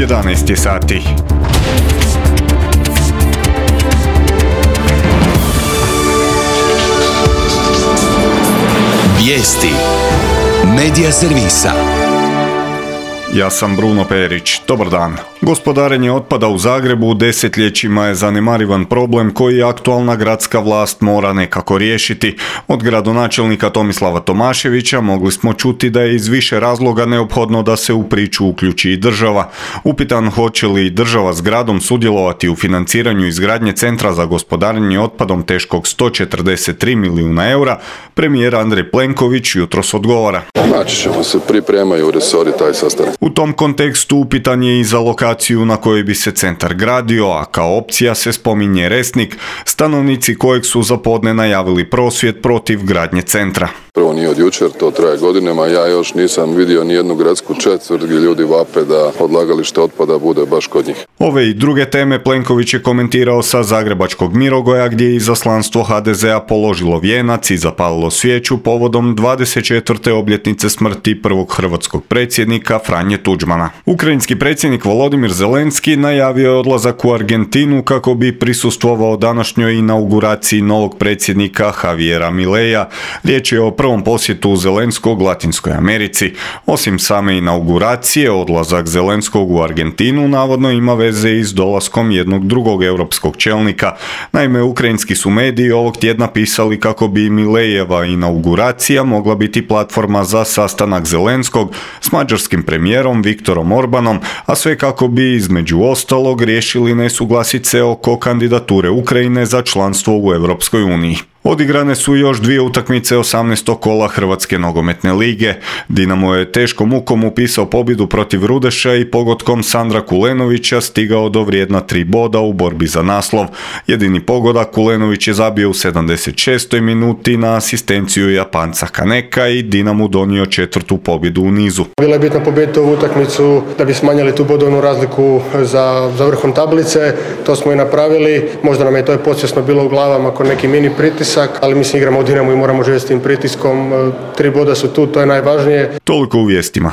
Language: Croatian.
11 je sati. Vijesti Medija servisa. Ja sam Bruno Perić. Dobar dan. Gospodarenje otpada u Zagrebu desetljećima je zanemarivan problem koji aktualna gradska vlast mora nekako riješiti. Od gradonačelnika Tomislava Tomaševića mogli smo čuti da je iz više razloga neophodno da se u priču uključi i država. Upitan hoće li država s gradom sudjelovati u financiranju izgradnje centra za gospodarenje otpadom teškog 143 milijuna eura, premijer Andrej Plenković jutros odgovara. Naći ćemo se, pripremaju resori taj sastanak. U tom kontekstu upitan je i za lokaciju na kojoj bi se centar gradio, a kao opcija se spominje Resnik, stanovnici kojeg su za podne najavili prosvjed protiv gradnje centra. Prvo nije od jučer, to traje godinama, ja još nisam vidio ni jednu gradsku četvrt gdje ljudi vape da odlagalište otpada bude baš kod njih. Ove i druge teme Plenković je komentirao sa zagrebačkog Mirogoja, gdje je izaslanstvo HDZ-a položilo vijenac i zapalilo svijeću povodom 24. obljetnice smrti prvog hrvatskog predsjednika Franje Tuđmana. Ukrajinski predsjednik Volodimir Zelenski najavio je odlazak u Argentinu kako bi prisustvovao današnjoj inauguraciji novog predsjednika Javiera Mileja. Riječ je o prvom posjetu Zelenskog Latinskoj Americi. Osim same inauguracije, odlazak Zelenskog u Argentinu navodno ima veze i s dolaskom jednog drugog europskog čelnika. Naime, ukrajinski su mediji ovog tjedna pisali kako bi Milejeva inauguracija mogla biti platforma za sastanak Zelenskog s mađarskim premijerom Viktorom Orbanom, a sve kako bi između ostalog riješili nesuglasice oko kandidature Ukrajine za članstvo u Europskoj uniji. Odigrane su još dvije utakmice 18. kola Hrvatske nogometne lige. Dinamo je teškom mukom upisao pobjedu protiv Rudeša i pogodkom Sandra Kulenovića stigao do vrijedna 3 boda u borbi za naslov. Jedini pogodak Kulenović je zabio u 76. minuti na asistenciju Japanca Kaneka i Dinamu donio 4. pobjedu u nizu. Bila je bitna pobijediti ovu utakmicu da bi smanjili tu bodovnu razliku za vrhom tablice. To smo i napravili. Možda nam je to podsvjesno bilo u glavama kod neki mini pritisak, ali mislim igramo u Dinamu i moramo živjeti s tim pritiskom. 3 boda su tu, to je najvažnije. Toliko u vijestima.